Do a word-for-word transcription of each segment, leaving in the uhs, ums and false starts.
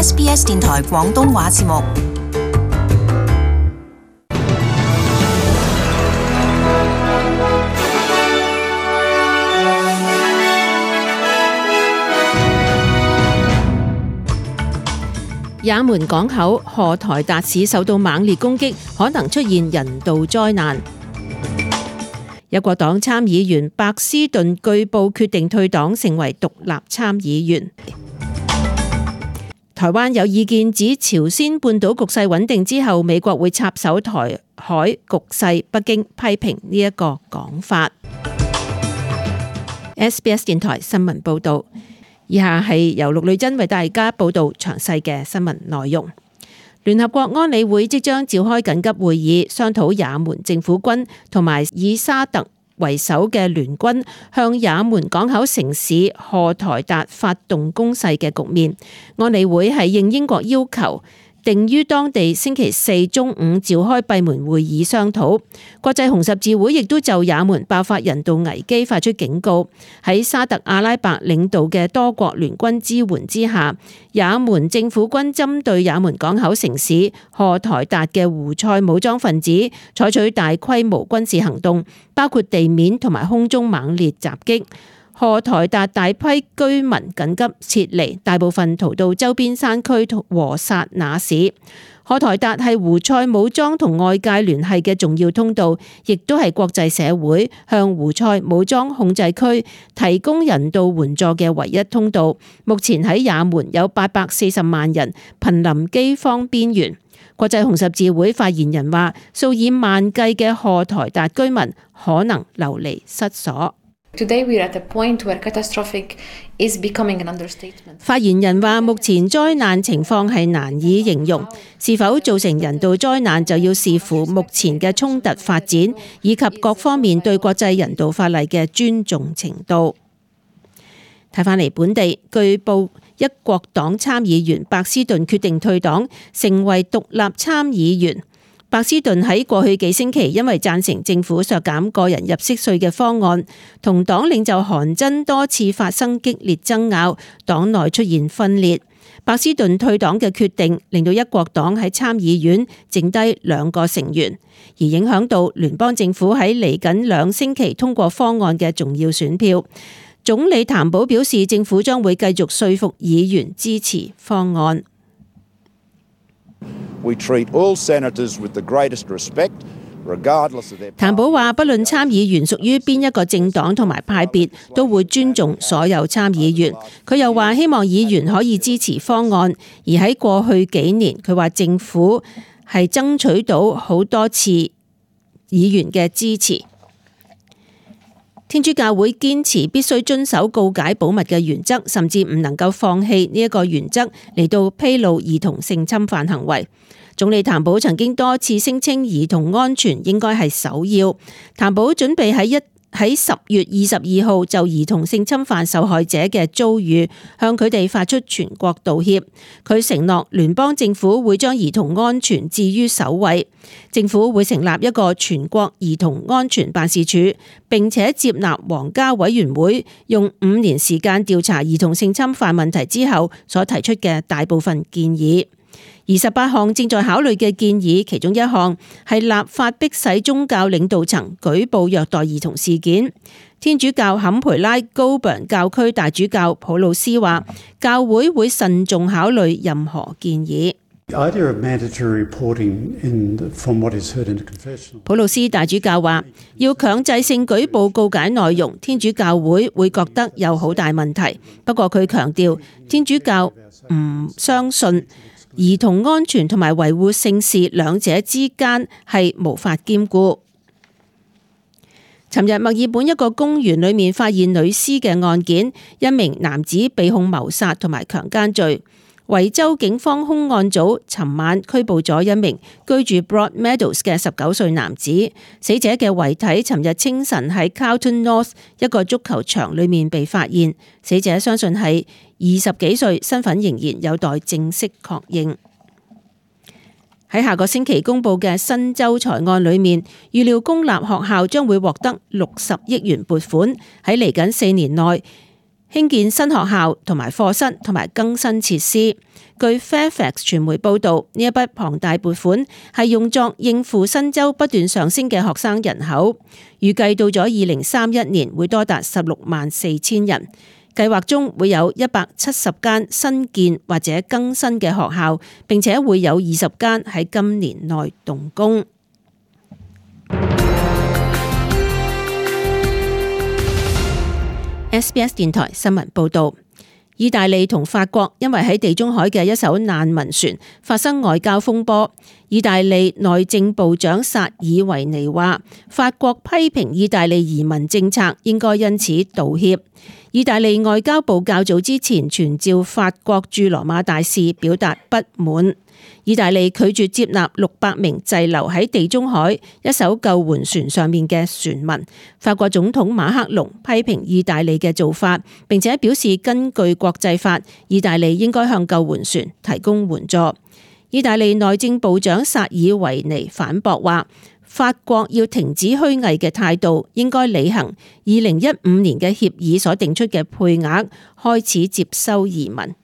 S B S 電台廣東話節目。也門港口荷台達市受到猛烈攻擊，可能出現人道災難。一國黨參議員白斯頓據報決定退黨，成為獨立參議員。台灣有意見指，朝鮮半島局勢穩定之後，美國會插手台海局勢。北京批評呢一個講法。S B S 電台新聞報道。以下係由陸女珍為大家報道詳細嘅新聞內容。聯合國安理會即將召開緊急會議，商討也門政府軍同埋以沙特為首嘅聯軍向也門港口城市荷台達發動攻勢嘅局面。安理會係應英國要求，定於當地星期四中午召開閉門會議商討。國際紅十字會亦都就也門爆發人道危機發出警告。喺沙特阿拉伯領導嘅多國聯軍支援之下，也門政府軍針對也門港口城市荷台達嘅胡塞武裝分子採取大規模軍事行動，包括地面同埋空中猛烈襲擊。荷台達大批居民緊急撤離，大部分逃到周邊山區和薩那市。荷台達係胡塞武裝同外界聯繫嘅重要通道，亦都係國際社會向胡塞武裝控制區提供人道援助嘅唯一通道。目前喺也門有八百四十萬人瀕臨饑荒邊緣。國際紅十字會發言人話，數以萬計嘅荷台達居民可能流離失所。Today we are at a point where catastrophic is becoming an understatement. 發言人話，目前災難情況係難以形容，是否造成人道災難就要視乎目前嘅衝突發展以及各方面對國際人道法例嘅尊重程度。睇返嚟本地，據報一國黨參議員白斯頓決定退黨，成為獨立參議員。白斯頓喺過去幾星期因為贊成政府削減個人入息稅嘅方案，同黨領袖韓真多次發生激烈爭拗，黨內出現分裂。白斯頓退黨嘅決定令到一國黨喺參議院剩低兩個成員，而影響到聯邦政府喺嚟緊兩星期通過方案嘅重要選票。總理譚寶表示，政府將會繼續說服議員支持方案。We treat all senators with the greatest respect, regardless of their party. 譚寶話，不論參議員屬於邊一個政黨同埋派別，都會尊重所有參議員。佢又話，希望議員可以支持方案。而喺過去幾年，佢話政府係爭取到好多次議員嘅支持。天主教會堅持必須遵守告解保密嘅原則，甚至唔能夠放棄呢一個原則嚟到披露兒童性侵犯行為。總理譚寶曾經多次聲稱兒童安全應該係首要。譚寶準備喺一喺十月二十二號就兒童性侵犯受害者嘅遭遇向佢哋發出全國道歉。佢承諾聯邦政府會將兒童安全置於首位，政府會成立一個全國兒童安全辦事處，並且接納皇家委員會用五年時間調查兒童性侵犯問題之後所提出嘅大部分建議。二十八項正在考慮嘅建議，其中一項係立法迫使宗教領導層舉報虐待兒童事件。天主教坎培拉高本教區大主教普魯斯話，教會會慎重考慮任何建議。普魯斯大主教話，要強制性舉報告解內容，天主教會會覺得有好大問題。不過佢強調，天主教唔相信兒童安全同埋維護聖事兩者之間係無法兼顧。尋日墨爾本一個公園裏面發現女屍嘅案件，一名男子被控謀殺同埋強姦罪。維州警方兇案組尋晚拘捕咗一名居住 Broadmeadows 嘅十九歲男子。死者嘅遺體尋日清晨喺 Carlton North 一個足球場裏面被發現。死者相信係二十幾歲，身份仍然有待正式確認。喺下個星期公布嘅新州財案裏面，預料公立學校將會獲得六十億元撥款，喺嚟緊四年內興建新學校同埋課室同埋更新設施。據 Fairfax 傳媒報導，呢一筆龐大撥款係用作應付新州不斷上升嘅學生人口，預計到咗二零三一年會多達十六萬四千人。計劃中會有一百七十間新建或者更新嘅學校，並且會有二十間喺今年內動工。S B S 電台新聞報導。意大利同法國因為喺地中海嘅一艘難民船發生外交風波，意大利內政部長薩爾維尼話，法國批評意大利移民政策，應該因此道歉。意大利外交部較早之前傳召法國駐羅馬大使表達不滿。意大利拒絕接納六百名滯留喺地中海一艘救援船上面嘅船民。法國總統馬克龍批評意大利嘅做法，並且表示根據國際法，意大利應該向救援船提供援助。意大利內政部長薩爾維尼反駁話，法國要停止虛偽嘅態度，應該履行二零一五年嘅協議所定出嘅配額，開始接收移民。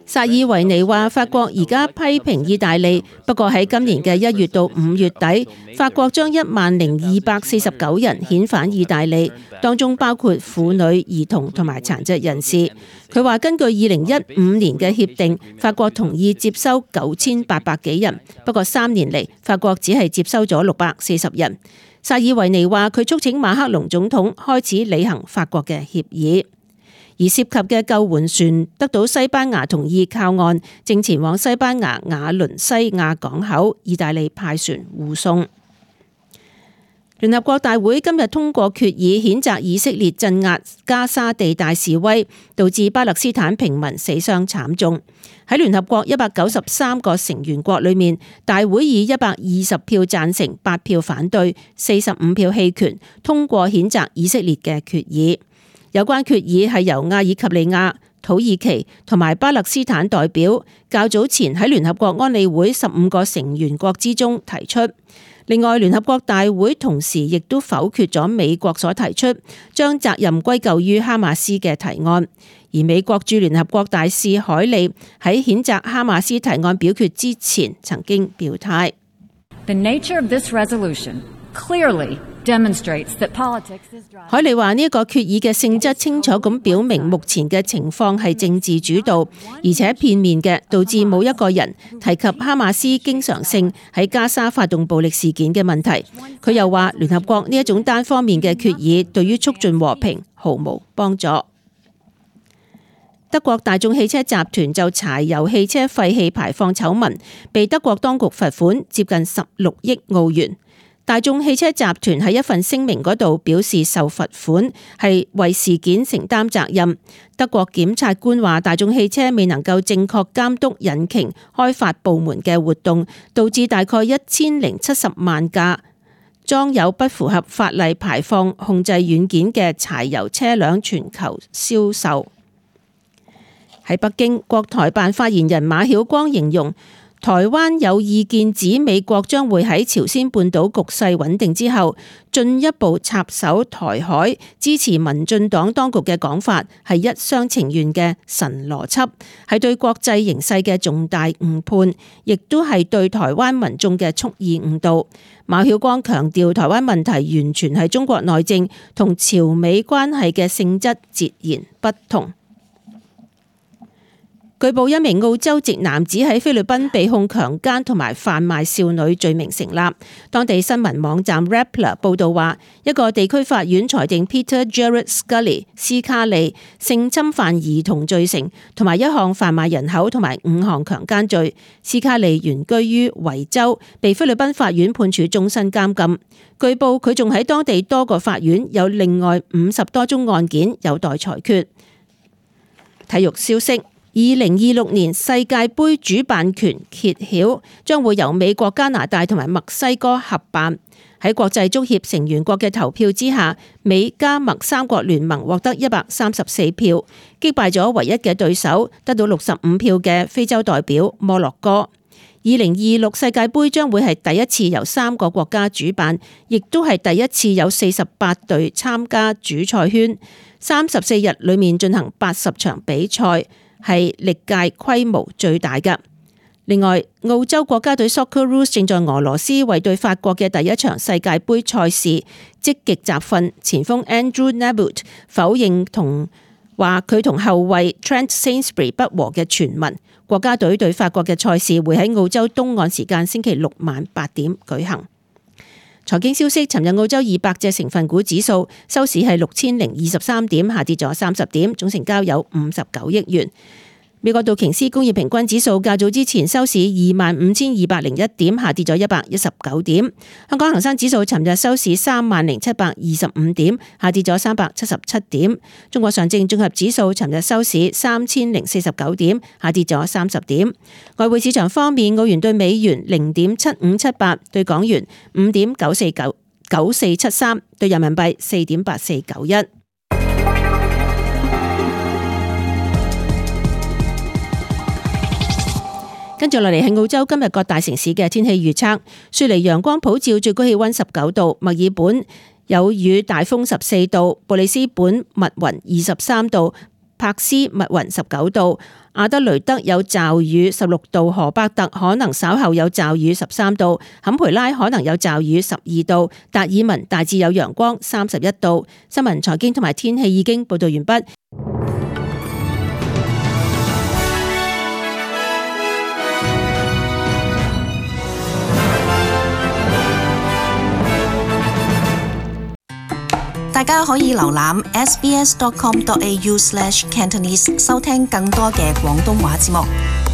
薩爾維尼話，法國而家批評意大利，不過喺今年嘅一月到五月底，法國將一萬零二百四十九人遣返意大利，當中包括婦女、兒童同埋殘疾人士。佢話根據二零一五年嘅協定，法國同意接收九千八百幾人，不過三年嚟法國只係接收咗六百四十人。薩爾維尼話佢促請馬克龍總統開始履行法國嘅協議。而涉及嘅救援船得到西班牙同意靠岸，正前往西班牙瓦倫西亞港口，意大利派船護送。聯合國大會今日通過決議，譴責以色列鎮壓加沙地帶示威，導致巴勒斯坦平民死傷慘重。喺聯合國一百九十三個成員國裏面，大會以一百二十票贊成、八票反對、四十五票棄權通過譴責以色列嘅決議。有關決議係由阿爾及利亞、土耳其同埋巴勒斯坦代表較早前喺聯合國安理會十五個成員國之中提出。另外，聯合國大會同時亦都否決咗美國所提出將責任歸咎於哈馬斯嘅提案。而美國駐聯合國大使海利喺譴責哈馬斯提案表決之前曾經表態。The nature of this resolution clearly demonstrates that politics is driving. 海利話呢一個決議嘅性質清楚咁表明目前嘅情況係政治主導，而且片面嘅，導致冇一個人提及哈馬斯經常性喺加沙發動暴力事件嘅問題。佢又話聯合國呢一種單方面嘅決議對於促進和平毫無幫助。德國大眾汽車集團就柴油汽車廢氣排放醜聞被德國當局罰款接近十六億澳元。大眾汽車集團喺一份聲明嗰度表示，受罰款係為事件承擔責任。德國檢察官話，大眾汽車未能夠正確監督引擎開發部門嘅活動，導致大概一千零七十萬架裝有不符合法例排放控制軟件嘅柴油車輛全球銷售。喺北京，國台辦發言人馬曉光形容，台灣有意見指美國將會喺朝鮮半島局勢穩定之後進一步插手台海，支持民進黨當局嘅講法係一廂情願嘅神邏輯，係對國際形勢嘅重大誤判，亦都係對台灣民眾嘅蓄意誤導。馬曉光強調，台灣問題完全係中國內政，同朝美關係嘅性質截然不同。據報一名澳洲籍男子喺菲律賓被控強姦同埋販賣少女罪名成立。當地新聞網站 Rappler 報道話，一個地區法院裁定 Peter Jared Scully 斯卡利性侵犯兒童罪成，同埋一項販賣人口同埋五項強姦罪。斯卡利原居於維州，被菲律賓法院判處終身監禁。據報佢仲喺當地多個法院有另外五十多宗案件有待裁決。體育消息。二零二六年世界盃主辦權揭曉，將會由美國、加拿大同埋墨西哥合辦。喺國際足協成員國嘅投票之下，美加墨三國聯盟獲得一百三十四票，擊敗咗唯一嘅對手，得到六十五票嘅非洲代表摩洛哥。二零二六世界盃將會係第一次由三個國家主辦，亦都係第一次有四十八隊參加主賽圈，三十四日裏面進行八十場比賽，係歷屆規模最大嘅。另外，澳洲國家隊 Socceroos 正在俄羅斯為對法國嘅第一場世界盃賽事積極集訓，前鋒 Andrew Nabbout 否認同話佢同後衛 Trent Sainsbury 不和嘅傳聞。國家隊對法國嘅賽事會喺澳洲東岸時間星期六晚八點舉行。財經消息，尋日澳洲二百隻成分股指數收市係六千零二十三點，下跌咗三十點，總成交有五十九億元。美國道瓊斯工業平均指數較早之前收市二萬五千二百零一點，下跌咗一百一十九點。香港恒生指數尋日收市三萬零七百二十五點，下跌咗三百七十七點。中國上證綜合指數尋日收市三千零四十九點，下跌咗三十點。外匯市場方面，澳元對美元零點七五七八，對港元五點九四九九四七三，對人民幣四點八四九一。跟住落嚟係澳洲今日各大城市嘅天氣預測。雪梨陽光普照，最高氣溫十九度；墨爾本有雨大風十四度；布里斯本密雲二十三度；柏斯密雲十九度；阿德雷德有驟雨十六度；荷伯特可能稍後有驟雨十三度；坎培拉可能有驟雨十二度；達爾文大致有陽光三十一度。新聞、財經同埋天氣已經報道完畢。大家可以瀏覽 s b s dot com dot a u slash cantonese 收聽更多嘅廣東話節目。